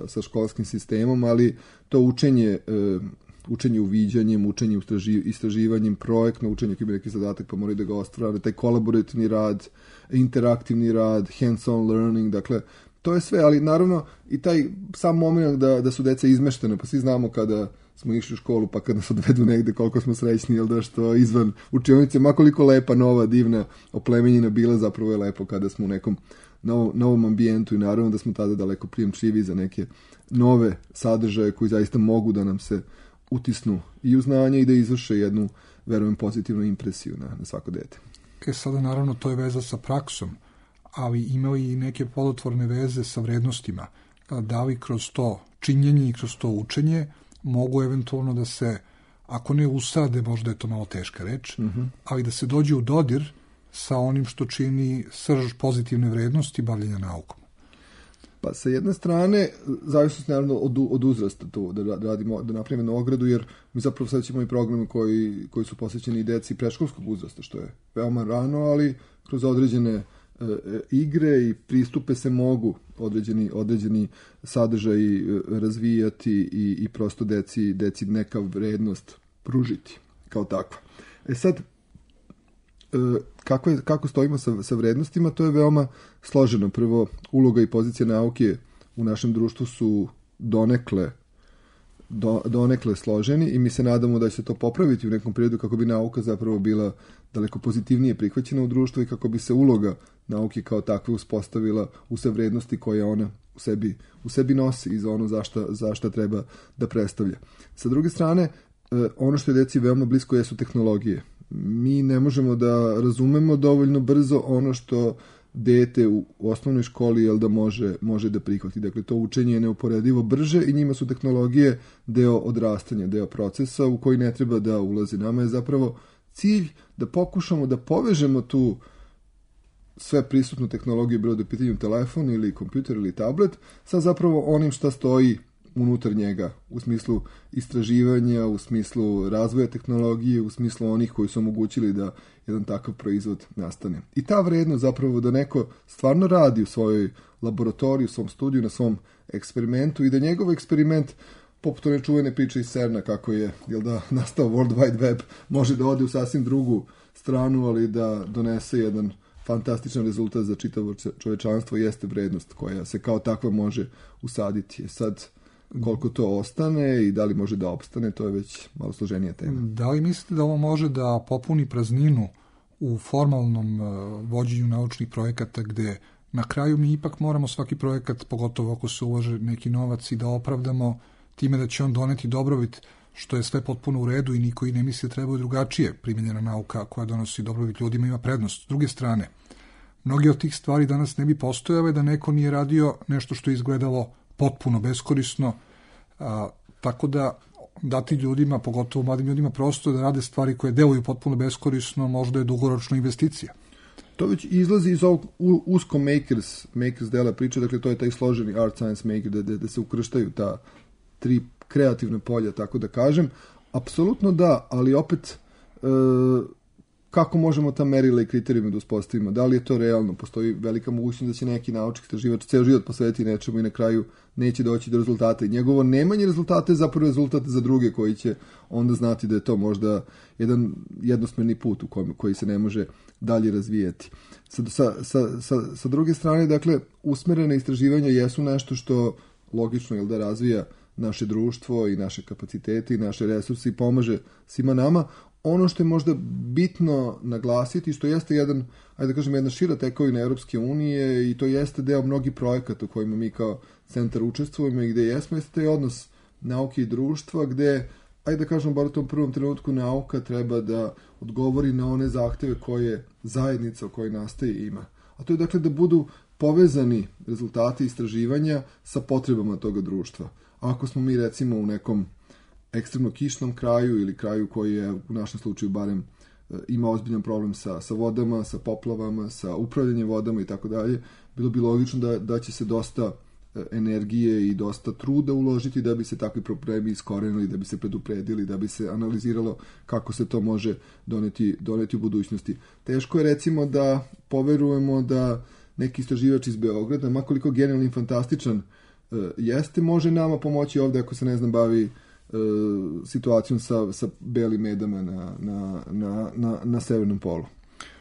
sa školskim sistemom, ali to učenje uviđanjem, učenje istraživanjem, projektno učenje koji ima neki zadatak pa moraju da ga ostvare, taj kolaborativni rad, interaktivni rad, hands-on learning, dakle, to je sve, ali naravno i taj sam moment da su deca izmeštene, pa svi znamo kada smo išli u školu pa kada nas odvedu negde koliko smo srećni, jel da, što izvan učionice, makoliko lepa, nova, divna, oplemenjena bila, zapravo je lepo kada smo u nekom novom ambijentu i naravno da smo tada daleko prijemčivi za neke nove sadržaje koji zaista mogu da nam se utisnu i u znanje i da izvrše jednu, verujem, pozitivnu impresiju na svako dete. Sada naravno to je veza sa praksom, ali ima i neke plodotvorne veze sa vrednostima. Da li kroz to činjenje i kroz to učenje mogu eventualno da se, ako ne usade, možda je to malo teška reč, ali da se dođe u dodir sa onim što čini srž pozitivne vrednosti bavljenja naukom. Pa sa jedne strane, zavisno naravno od uzrasta to, da napravimo jednu ogradu, jer mi zapravo sad ćemo i programe koji su posvećeni i deci predškolskog uzrasta, što je veoma rano, ali kroz određene igre i pristupe se mogu određeni sadržaji razvijati i prosto deci neka vrednost pružiti kao takva. Sad, kako stojimo sa vrednostima, to je veoma složeno. Prvo, uloga i pozicija nauke u našem društvu su donekle složeni i mi se nadamo da će se to popraviti u nekom periodu kako bi nauka zapravo bila daleko pozitivnije prihvaćena u društvu i kako bi se uloga nauke kao takve uspostavila u sve vrednosti koje ona u sebi nosi i za ono za šta treba da predstavlja. Sa druge strane, ono što je deci veoma blisko jesu tehnologije. Mi ne možemo da razumemo dovoljno brzo ono što dete u osnovnoj školi da može da prihvati. Dakle, to učenje je neuporedivo brže i njima su tehnologije deo odrastanja, deo procesa u koji ne treba da ulazi. Nama je zapravo cilj da pokušamo da povežemo tu sve prisutnu tehnologiju, bilo da je u pitanju telefon ili kompjuter ili tablet, sa zapravo onim šta stoji unutar njega, u smislu istraživanja, u smislu razvoja tehnologije, u smislu onih koji su omogućili da jedan takav proizvod nastane. I ta vrednost zapravo da neko stvarno radi u svojoj laboratoriji, u svom studiju, na svom eksperimentu i da njegov eksperiment, poput one čuvene priče iz CERN-a, kako je nastao World Wide Web, može da ode u sasvim drugu stranu, ali da donese jedan fantastičan rezultat za čitavo čovečanstvo, jeste vrednost koja se kao takva može usaditi. Sad, koliko to ostane i da li može da opstane, to je već malo složenija tema. Da li mislite da ovo može da popuni prazninu u formalnom vođenju naučnih projekata, gde na kraju mi ipak moramo svaki projekat, pogotovo ako se ulaže neki novac, i da opravdamo time da će on doneti dobrobit, što je sve potpuno u redu i niko i ne misli da trebaju drugačije. Primenjena nauka koja donosi dobrobit ljudima ima prednost. S druge strane, mnogi od tih stvari danas ne bi postojale da neko nije radio nešto što je izgledalo potpuno beskorisno, tako da dati ljudima, pogotovo mladim ljudima, prosto da rade stvari koje deluju potpuno beskorisno, možda je dugoročna investicija. To već izlazi iz ovog usko makers dela priče, dakle to je taj složeni art science maker, da se ukrštaju ta tri kreativna polja, tako da kažem. Apsolutno da, ali opet kako možemo ta merila i kriterijume da uspostavimo? Da li je to realno? Postoji velika mogućnost da će neki naučnik, istraživač ceo život posvetiti nečemu i na kraju neće doći do rezultata. I njegovo nemanje rezultata je zapravo rezultat za druge koji će onda znati da je to možda jedan jednosmerni put u koji se ne može dalje razvijati. Sa druge strane, dakle, usmerene istraživanja jesu nešto što logično da razvija naše društvo i naše kapacitete i naše resurse i pomaže svima nama. Ono što je možda bitno naglasiti, što jeste jedna šira tekovina Europske unije i to jeste deo mnogih projekata u kojima mi kao centar učestvujemo i gde jeste taj odnos nauke i društva, gde, bar u tom prvom trenutku nauka treba da odgovori na one zahteve koje zajednica u kojoj nastaje ima. A to je dakle da budu povezani rezultati istraživanja sa potrebama toga društva. Ako smo mi recimo u nekom ekstremno kišnom kraju ili kraju koji je u našem slučaju barem ima ozbiljan problem sa vodama, sa poplavama, sa upravljanjem vodama i tako dalje, bilo bi logično da će se dosta energije i dosta truda uložiti da bi se takvi problemi iskorenili, da bi se predupredili, da bi se analiziralo kako se to može doneti u budućnosti. Teško je recimo da poverujemo da neki istraživač iz Beograda, makoliko genijalni i fantastičan jeste, može nama pomoći ovde ako se bavi situacijom sa belim medama na severnom polu.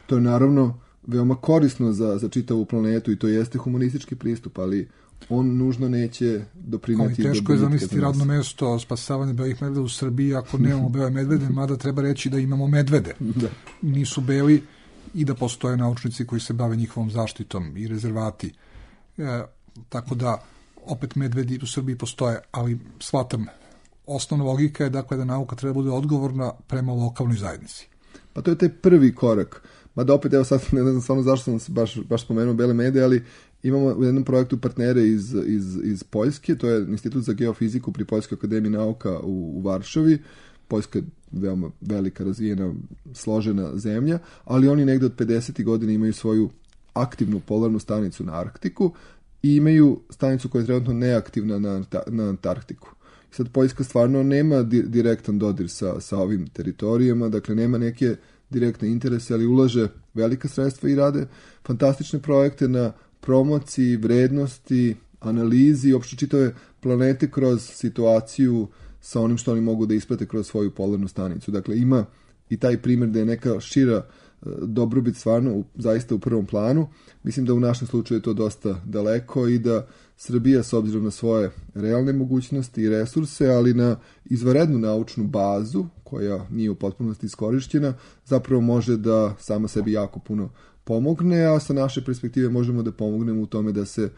To je naravno veoma korisno za čitavu planetu i to jeste humanistički pristup, ali on nužno neće doprineti. Ali teško je zamisliti radno mesto spasavanja belih medveda u Srbiji ako nemamo bele medvede, mada treba reći da imamo medvede. Da. Nisu beli i da postoje naučnici koji se bave njihovom zaštitom i rezervati. Tako da, opet medvedi u Srbiji postoje, ali shvatam, osnovna logika je dakle da nauka treba bude odgovorna prema lokalnoj zajednici. Pa to je taj prvi korak. Mada opet, evo sad ne znam stvarno zašto sam se baš spomenuo bele mede, ali imamo u jednom projektu partnere iz Poljske, to je Institut za geofiziku pri Poljskoj akademiji nauka u Varšavi. Poljska je veoma velika, razvijena, složena zemlja, ali oni negde od 50. godina imaju svoju aktivnu polarnu stanicu na Arktiku i imaju stanicu koja je trenutno neaktivna na Antarktiku. Sad Poljska stvarno nema direktan dodir sa ovim teritorijama, dakle nema neke direktne interese, ali ulaže velika sredstva i rade fantastične projekte na promociji, vrednosti, analizi, uopšte čitave planete kroz situaciju sa onim što oni mogu da isprate kroz svoju polarnu stanicu. Dakle, ima i taj primjer da je neka šira dobrobit stvarno zaista u prvom planu. Mislim da u našem slučaju je to dosta daleko i da Srbija, s obzirom na svoje realne mogućnosti i resurse, ali na izvanrednu naučnu bazu, koja nije u potpunosti iskorišćena, zapravo može da sama sebi jako puno pomogne, a sa naše perspektive možemo da pomognemo u tome da se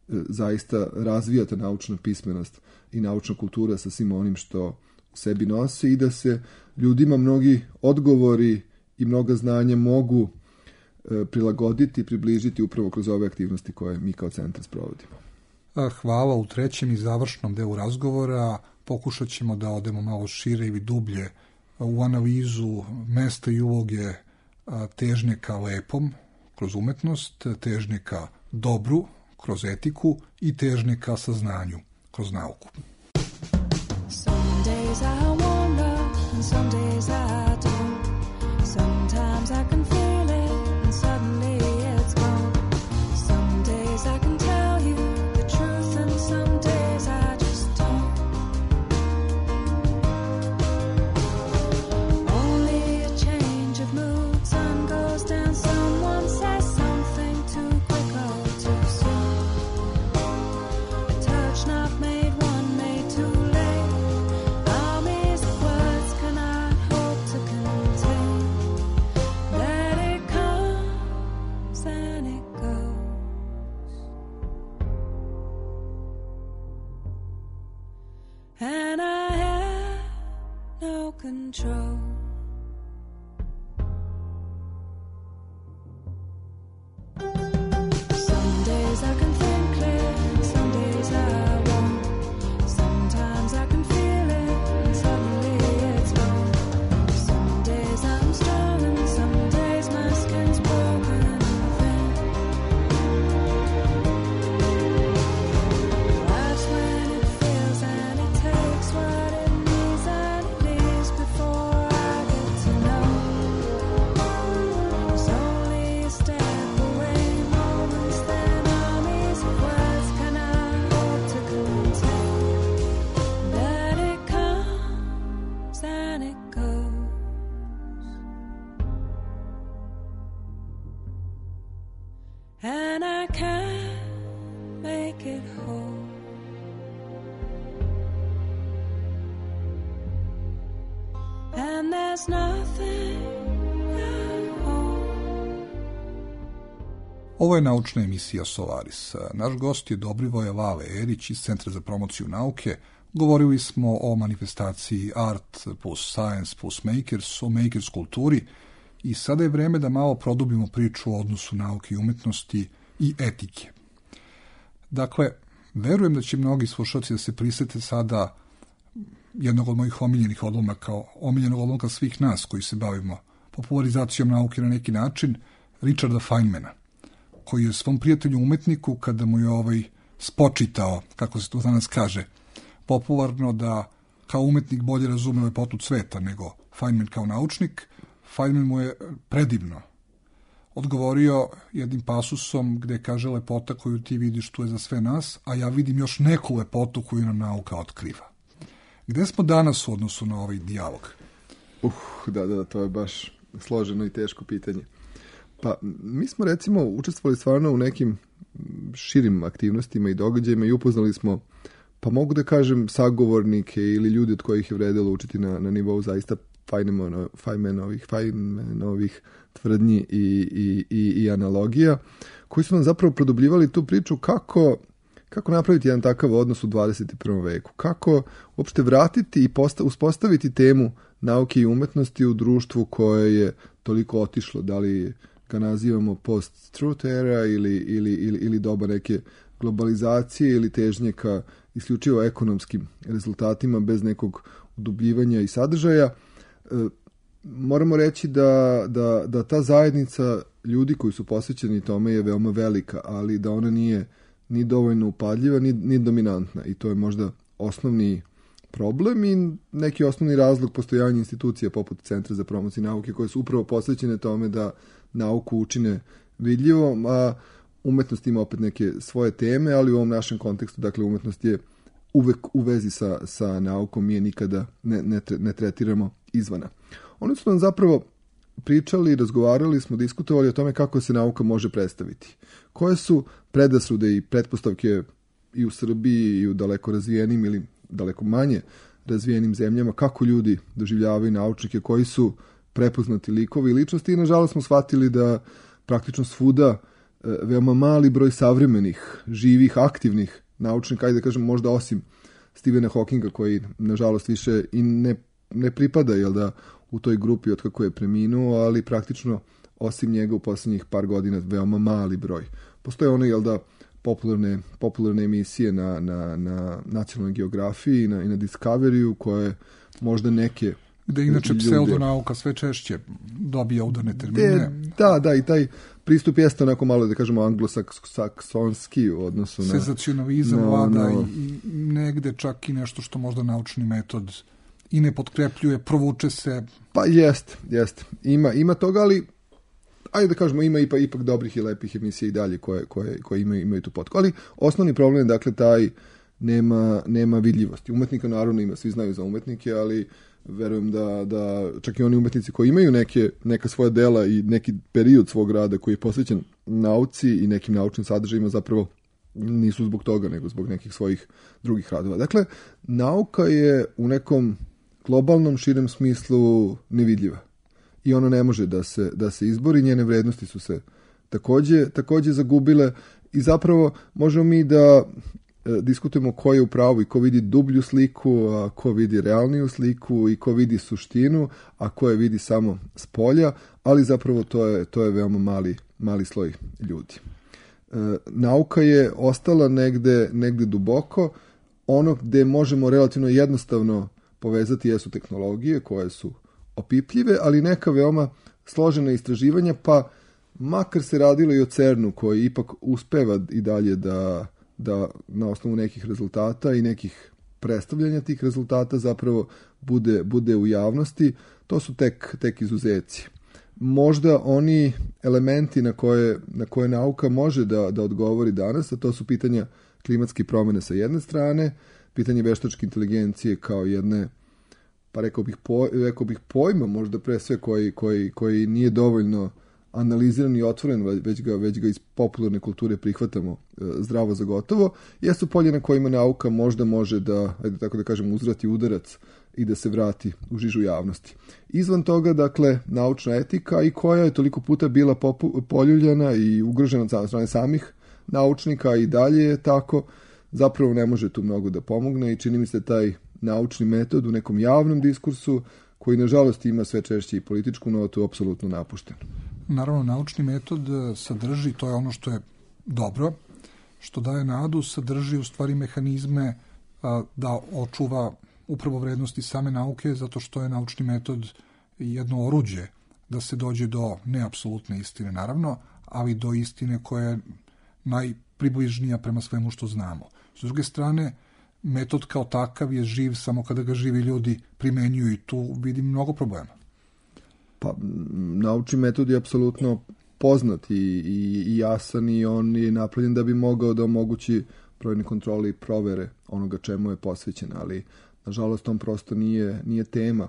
zaista razvija ta naučna pismenost i naučna kultura sa svim onim što u sebi nosi i da se ljudima mnogi odgovori i mnoga znanja mogu prilagoditi, približiti upravo kroz ove aktivnosti koje mi kao centar sprovodimo. Hvala. U trećem i završnom delu razgovora pokušat ćemo da odemo malo šire ili dublje u analizu mesta i uloge težnje ka lepom kroz umetnost, težnje ka dobru kroz etiku i težnje ka saznanju kroz nauku. Some days I wonder and some days I don't. Sometimes I can feel it and suddenly it's gone. Some days I can tell you the truth and some days I just don't. Only a change of mood, sun goes down, someone says something too quick or too soon. A touch not made, one made too late. Armies of words cannot hope to contain. That it comes and it goes. And I have no control. Some days I can think clear, some days I won't. Sometimes I can feel it, and suddenly it's gone. Some days I'm strong, and some days my skin's broken and thin. Life's when it feels, and it takes what it needs, and it leaves before I get to know. It's only a step away, moments then armies of words cannot hope to contain. That it comes and it goes. And I can't make it whole. And there's nothing I hold. Ovo je naučna emisija Solaris. Naš gost je Dobrivoje Lale Erić iz Centra za promociju nauke. Govorili smo o manifestaciji Art plus Science plus Makers, o makers kulturi i sada je vreme da malo produbimo priču o odnosu nauke i umetnosti i etike. Dakle, verujem da će mnogi slušalci da se prisete sada jednog od mojih omiljenih odlomaka, omiljenog odlomka svih nas koji se bavimo popularizacijom nauke na neki način, Richarda Feynmana, koji je svom prijatelju umetniku, kada mu je spočitao, kako se to danas kaže, popularno da kao umetnik bolje razume lepotu cveta nego Feynman kao naučnik, Feynman mu je predivno odgovorio jednim pasusom gde kaže lepota koju ti vidiš tu je za sve nas, a ja vidim još neku lepotu koju nam nauka otkriva. Gde smo danas u odnosu na ovaj dijalog? Da, to je baš složeno i teško pitanje. Pa, mi smo recimo učestvovali stvarno u nekim širim aktivnostima i događajima i upoznali smo, pa mogu da kažem, sagovornike ili ljudi od kojih je vredelo učiti na nivou zaista Feynmanovih tvrdnji i analogija, koji su nam zapravo produbljivali tu priču kako napraviti jedan takav odnos u 21. veku, kako uopšte vratiti i uspostaviti temu nauke i umetnosti u društvu koje je toliko otišlo, da li ga nazivamo post-truth era ili doba neke globalizacije ili težnje ka isključivo ekonomskim rezultatima bez nekog udubljivanja i sadržaja. Moramo reći da ta zajednica ljudi koji su posvećeni tome je veoma velika, ali da ona nije ni dovoljno upadljiva, ni dominantna. I to je možda osnovni problem i neki osnovni razlog postojanja institucija poput Centra za promociju nauke, koje su upravo posvećene tome da nauku učine vidljivom, a umetnost ima opet neke svoje teme, ali u ovom našem kontekstu, dakle, umetnost je uvek u vezi sa naukom, mi je nikada ne tretiramo izvana. Oni su nam zapravo pričali, razgovarali smo, diskutovali o tome kako se nauka može predstaviti. Koje su predrasude i pretpostavke i u Srbiji i u daleko razvijenim ili daleko manje razvijenim zemljama, kako ljudi doživljavaju naučnike, koji su prepoznati likovi i ličnosti, i nažalost smo shvatili da praktično svuda veoma mali broj savremenih, živih, aktivnih naučnika, ajde da kažem možda osim Stephena Hawkinga, koji nažalost više i ne pripada, jel da, u toj grupi od kako je preminuo, ali praktično osim njega u posljednjih par godina veoma mali broj. Postoje one, jel da, popularne emisije na nacionalnoj geografiji i na Discoveryu, koje možda neke gde inače pseudonauka sve češće dobija udarne termine. Da, i taj pristup jeste onako malo, da kažemo, anglosaksonski u odnosu na... Senzacionalizam vlada i negde čak i nešto što možda naučni metod i ne potkrepljuje, provuče se. Pa jest. Ima toga, ali ajde da kažemo, ima ipak dobrih i lepih emisija i dalje koje imaju tu potku. Ali osnovni problem je, dakle, taj nema vidljivosti. Umetnika naravno ima, svi znaju za umetnike, ali verujem da čak i oni umetnici koji imaju neka svoja dela i neki period svog rada koji je posvećen nauci i nekim naučnim sadržajima, zapravo nisu zbog toga, nego zbog nekih svojih drugih radova. Dakle, nauka je u nekom globalnom, širem smislu nevidljiva. I ona ne može da se izbori, njene vrednosti su se takođe zagubile i zapravo možemo mi da diskutujemo ko je u pravu i ko vidi dublju sliku, a ko vidi realniju sliku i ko vidi suštinu, a ko je vidi samo s polja, ali zapravo to je veoma mali sloj ljudi. Nauka je ostala negde duboko, ono gde možemo relativno jednostavno povezati jesu tehnologije koje su opipljive, ali neka veoma složena istraživanja, pa makar se radilo i o CERN-u koji ipak uspeva i dalje da na osnovu nekih rezultata i nekih predstavljanja tih rezultata zapravo bude u javnosti, to su tek izuzeci. Možda oni elementi na koje nauka može da odgovori danas, a to su pitanja klimatskih promjena sa jedne strane, pitanje veštačke inteligencije kao jedne, pa rekao bih pojma, možda pre sve koji nije dovoljno analiziran i otvoren, već ga iz popularne kulture prihvatamo zdravo za gotovo, jesu polje na kojima nauka možda može da, ajde tako da kažem, uzvrati udarac i da se vrati u žižu javnosti. Izvan toga, dakle, naučna etika, i koja je toliko puta bila poljuljana i ugrožena od strane samih naučnika i dalje je tako, zapravo ne može tu mnogo da pomogne i čini mi se taj naučni metod u nekom javnom diskursu, koji nažalost ima sve češće i političku notu, apsolutno napušten. Naravno, naučni metod sadrži, to je ono što je dobro, što daje nadu, sadrži u stvari mehanizme da očuva upravo vrednosti same nauke, zato što je naučni metod jedno oruđe da se dođe do neapsolutne istine, naravno, ali do istine koja je najpribližnija prema svemu što znamo. S druge strane, metod kao takav je živ samo kada ga živi ljudi primenjuju i tu vidim mnogo problema. Pa, naučni metod je apsolutno poznat i jasan i on je napravljen da bi mogao da omogući brojne kontrole i provere onoga čemu je posvećen, ali nažalost on prosto nije tema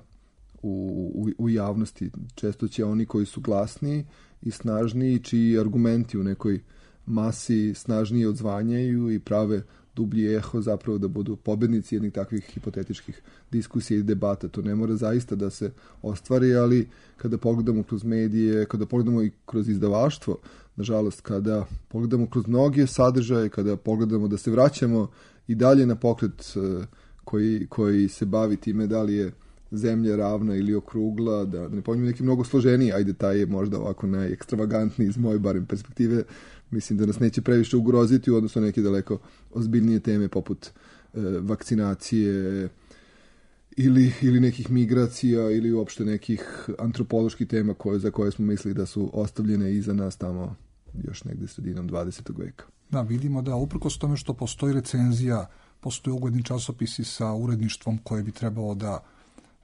u javnosti. Često će oni koji su glasniji i snažniji, čiji argumenti u nekoj masi snažnije odzvanjaju i prave dublji eho, zapravo da budu pobednici jednih takvih hipotetičkih diskusija i debata. To ne mora zaista da se ostvari, ali kada pogledamo kroz medije, kada pogledamo i kroz izdavaštvo, nažalost, kada pogledamo kroz mnoge sadržaje, kada pogledamo da se vraćamo i dalje na pokret koji se bavi time da li je zemlja ravna ili okrugla, da ne pominjem neki mnogo složeniji, ajde taj je možda ovako najekstravagantniji iz moje barem perspektive, mislim da nas neće previše ugroziti u odnosu na neke daleko ozbiljnije teme poput vakcinacije ili nekih migracija ili uopšte nekih antropoloških tema za koje smo mislili da su ostavljene iza nas tamo još negde sredinom 20. veka. Da, vidimo da uprkos tome što postoji recenzija, postoje ugledni časopisi sa uredništvom koje bi trebalo da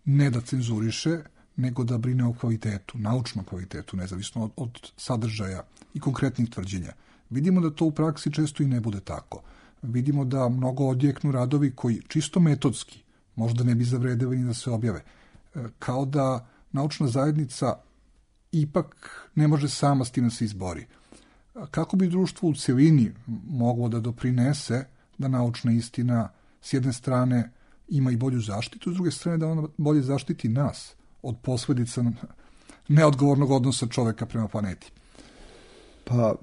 ne da cenzuriše, nego da brine o kvalitetu, naučnom kvalitetu, nezavisno od sadržaja i konkretnih tvrđenja. Vidimo da to u praksi često i ne bude tako. Vidimo da mnogo odjeknu radovi koji čisto metodski možda ne bi zavredeli ni da se objave. Kao da naučna zajednica ipak ne može sama s tim da se izbori. Kako bi društvo u celini moglo da doprinese da naučna istina s jedne strane ima i bolju zaštitu, s druge strane da ona bolje zaštiti nas od posledica neodgovornog odnosa čoveka prema planeti? Pa,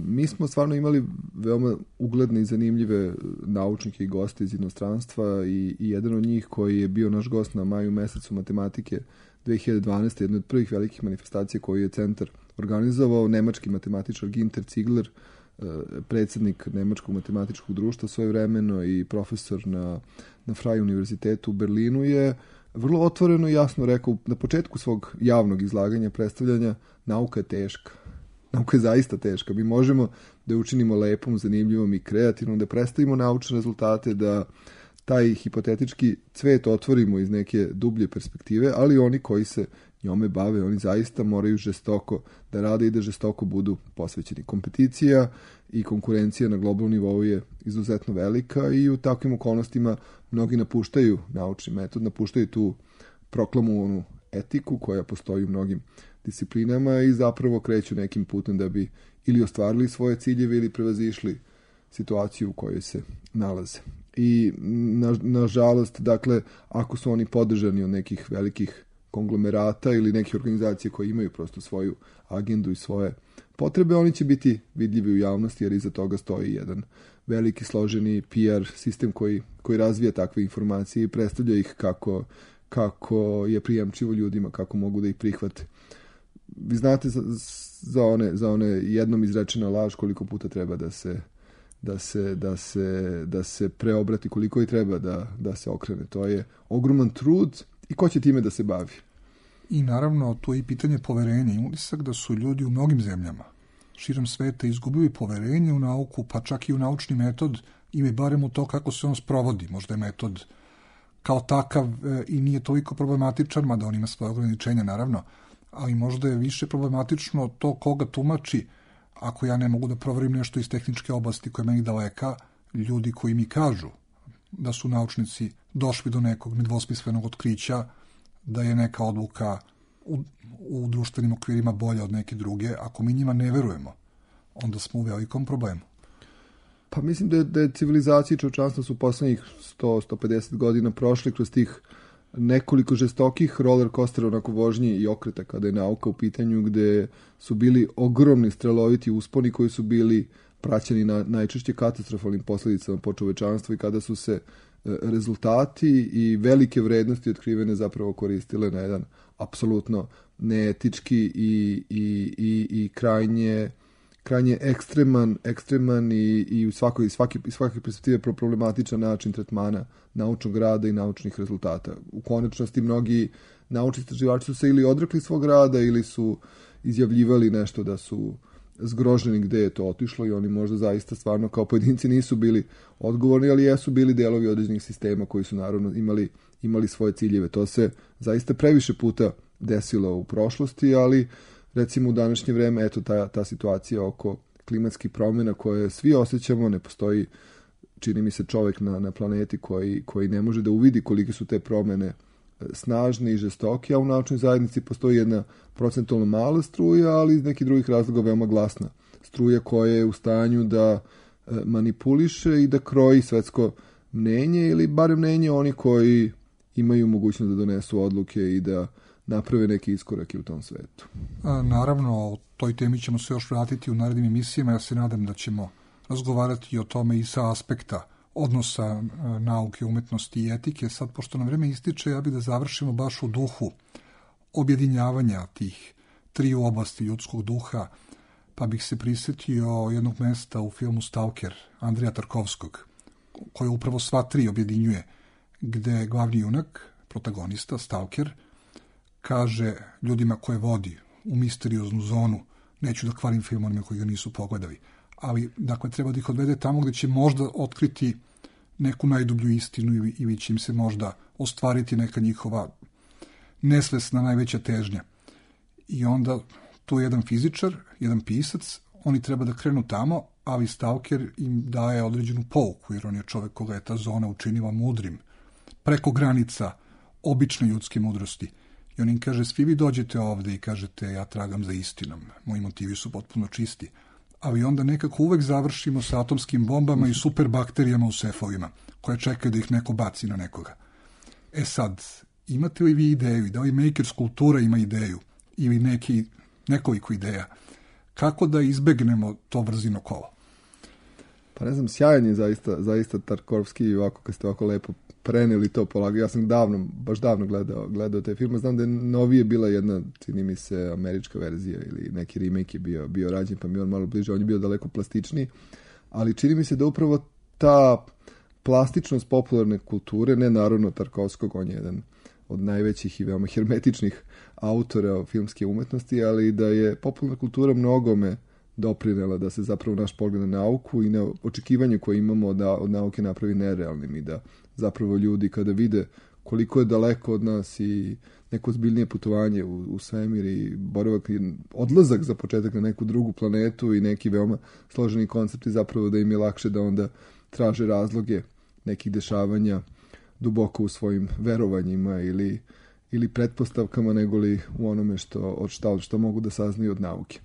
mi smo stvarno imali veoma ugledne i zanimljive naučnike i goste iz inostranstva i jedan od njih koji je bio naš gost na maju mesecu matematike 2012. jedna od prvih velikih manifestacija koju je centar organizovao, nemački matematičar Ginter Ziegler, predsjednik Nemačkog matematičkog društva svojevremeno i profesor na Freie univerzitetu u Berlinu, je vrlo otvoreno i jasno rekao na početku svog javnog izlaganja, predstavljanja, nauka je teška. Nauka je zaista teška. Mi možemo da je učinimo lepom, zanimljivom i kreativnom, da predstavimo naučne rezultate, da taj hipotetički cvet otvorimo iz neke dublje perspektive, ali oni koji se njome bave, oni zaista moraju žestoko da rade i da žestoko budu posvećeni. Kompeticija i konkurencija na globalnom nivou je izuzetno velika i u takvim okolnostima mnogi napuštaju naučni metod, napuštaju tu proklamovanu etiku koja postoji u mnogim disciplinama i zapravo kreću nekim putem da bi ili ostvarili svoje ciljeve ili prevazišli situaciju u kojoj se nalaze. I nažalost, dakle, ako su oni podržani od nekih velikih konglomerata ili neke organizacije koje imaju prosto svoju agendu i svoje potrebe, oni će biti vidljivi u javnosti jer iza toga stoji jedan veliki složeni PR sistem koji razvija takve informacije i predstavlja ih kako je prijemčivo ljudima, kako mogu da ih prihvate. Vi znate za one jednom izrečena laž koliko puta treba da se preobrati, koliko i treba da se okrene. To je ogroman trud i ko će time da se bavi? I naravno, to je i pitanje poverenja. Imam utisak da su ljudi u mnogim zemljama širom sveta izgubili poverenje u nauku, pa čak i u naučni metod ili barem u to kako se on sprovodi. Možda je metod kao takav i nije toliko problematičan, mada on ima svoje ograničenja, naravno, ali možda je više problematično to koga tumači. Ako ja ne mogu da proverim nešto iz tehničke oblasti koja je meni daleka, ljudi koji mi kažu da su naučnici došli do nekog nedvosmislenog otkrića, da je neka odluka u društvenim okvirima bolja od neke druge, ako mi njima ne verujemo, onda smo u velikom problemu. Pa mislim da je civilizacija i čovječanstvo su poslednjih 100-150 godina prošli kroz tih nekoliko žestokih roller coastera onako vožnji i okreta kada je nauka u pitanju, gde su bili ogromni streloviti usponi koji su bili praćeni na najčešće katastrofalnim posledicama po čovečanstvo i kada su se rezultati i velike vrednosti otkrivene zapravo koristile na jedan apsolutno neetički i krajnje ekstreman i u svake perspektive problematičan način tretmana naučnog rada i naučnih rezultata. U konačnosti mnogi naučni istraživači su se ili odrekli svog rada ili su izjavljivali nešto da su zgroženi gde je to otišlo i oni možda zaista stvarno kao pojedinci nisu bili odgovorni, ali jesu bili delovi određenih sistema koji su naravno imali svoje ciljeve. To se zaista previše puta desilo u prošlosti, ali recimo u današnje vreme, eto ta situacija oko klimatskih promjena koje svi osjećamo, ne postoji, čini mi se, čovjek na planeti koji ne može da uvidi kolike su te promjene snažne i žestoke, a u naučnoj zajednici postoji jedna procentualno mala struja, ali iz nekih drugih razloga veoma glasna struja koja je u stanju da manipuliše i da kroji svetsko mnenje ili barem mnenje oni koji imaju mogućnost da donesu odluke i da naprave neki iskorake u tom svetu. Naravno, o toj temi ćemo se još vratiti u narednim emisijama. Ja se nadam da ćemo razgovarati o tome i sa aspekta odnosa nauke, umetnosti i etike. Sad, pošto nam vreme ističe, ja bih da završimo baš u duhu objedinjavanja tih triju oblasti ljudskog duha, pa bih se prisjetio jednog mesta u filmu Stalker Andreja Tarkovskog, koje upravo sva tri objedinjuje, gde glavni junak, protagonista, Stalker, kaže ljudima koje vodi u misterioznu zonu, neću da kvarim film onima koji ga nisu pogledali, ali dakle treba da ih odvede tamo gde će možda otkriti neku najdublju istinu ili će im se možda ostvariti neka njihova nesvesna najveća težnja. I onda tu je jedan fizičar, jedan pisac, oni treba da krenu tamo, ali Stalker im daje određenu pouku, jer on je čovek koga je ta zona učinila mudrim, preko granica obične ljudske mudrosti. I on im kaže, svi vi dođete ovde i kažete, ja tragam za istinom, moji motivi su potpuno čisti. Ali onda nekako uvek završimo sa atomskim bombama i superbakterijama u sefovima, koje čekaju da ih neko baci na nekoga. E sad, imate li vi ideju, da li Makers kultura ima ideju, ili nekoliko ideja, kako da izbegnemo to brzino kolo? Pa ne znam, sjajan je zaista Tarkovski i ovako kad ste ovako lepo preneli to polagao. Ja sam baš davno gledao te filme. Znam da je novije bila jedna, čini mi se, američka verzija ili neki remake je bio rađen, pa mi on malo bliže, on je bio daleko plastičniji, ali čini mi se da upravo ta plastičnost popularne kulture, ne naravno Tarkovskog, on je jedan od najvećih i veoma hermetičnih autora filmske umetnosti, ali da je popularna kultura mnogome doprinela da se zapravo naš pogled na nauku i na očekivanje koje imamo od nauke napravi nerealnim i da zapravo ljudi kada vide koliko je daleko od nas i neko zbiljnije putovanje u svemir i boravak i odlazak za početak na neku drugu planetu i neki veoma složeni koncepti, zapravo da im je lakše da onda traže razloge nekih dešavanja duboko u svojim verovanjima ili pretpostavkama negoli u onome što mogu da saznaju od nauke.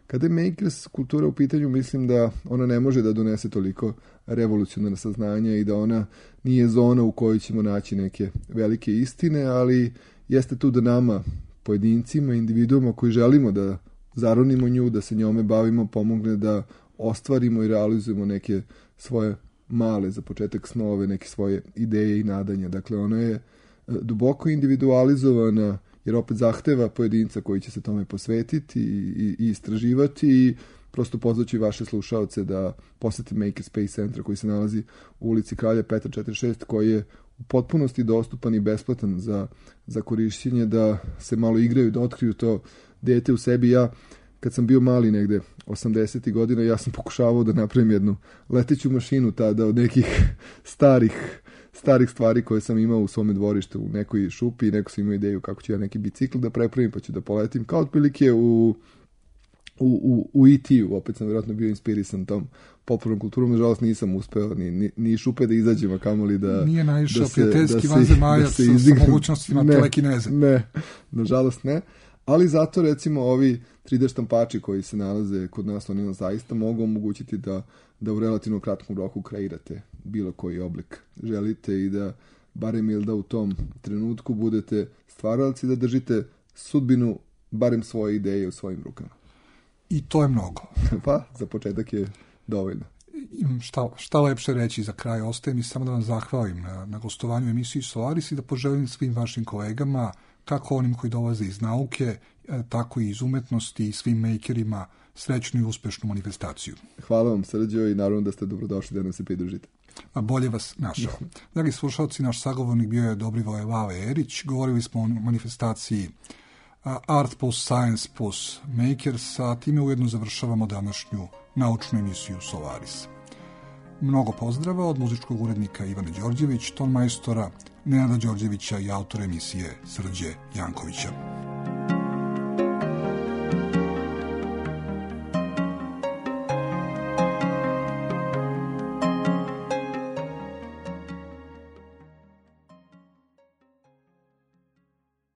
Kada je Makers kultura u pitanju, mislim da ona ne može da donese toliko revolucionarna saznanja i da ona nije zona u kojoj ćemo naći neke velike istine, ali jeste tu da nama, pojedincima, individuama koji želimo da zaronimo nju, da se njome bavimo, pomogne da ostvarimo i realizujemo neke svoje male, za početak snove, neke svoje ideje i nadanja. Dakle, ona je duboko individualizovana, jer opet zahteva pojedinca koji će se tome posvetiti i istraživati i prosto pozvaću vaše slušaoce da posete Makerspace centra koji se nalazi u ulici Kralja Petra 46, koji je u potpunosti dostupan i besplatan za korišćenje, da se malo igraju, da otkriju to dete u sebi. Ja, kad sam bio mali negde 80. godina, ja sam pokušavao da napravim jednu leteću mašinu tada od nekih starih stvari koje sam imao u svome dvorištu u nekoj šupi i neko sam imao ideju kako ću ja neki bicikl da prepravim pa ću da poletim. Kao otprilike u E.T.u, opet sam vjerojatno bio inspirisan tom popularnom kulturom, nažalost nisam uspeo ni šupe da izađem, a kamoli da... Nije naišao prijateljski vanzemaljac sa mogućnostima telekineze. Ne, nažalost ne. Ali zato recimo ovi 3D štampači koji se nalaze kod nas, oni nam zaista mogu omogućiti da u relativno kratkom roku kreirate bilo koji oblik želite i da barem ili da u tom trenutku budete stvaralci, da držite sudbinu barem svoje ideje u svojim rukama. I to je mnogo. Pa, za početak je dovoljno. Šta lepše reći za kraj, ostaje mi samo da vam zahvalim na gostovanju u emisiji Solaris i da poželim svim vašim kolegama, kako onim koji dolaze iz nauke, tako i iz umetnosti i svim makerima srećnu i uspešnu manifestaciju. Hvala vam, Srđo, i naravno da ste dobrodošli da nam se pridružite. A bolje vas našao. Dragi slušalci, naš sagovornik bio je Dobrivoje Lale Erić. Govorili smo o manifestaciji Art plus Science plus Makers, a time ujedno završavamo današnju naučnu emisiju Solaris. Mnogo pozdrava od muzičkog urednika Ivana Đorđević, ton majstora Nenada Đorđevića i autora emisije Srđe Jankovića.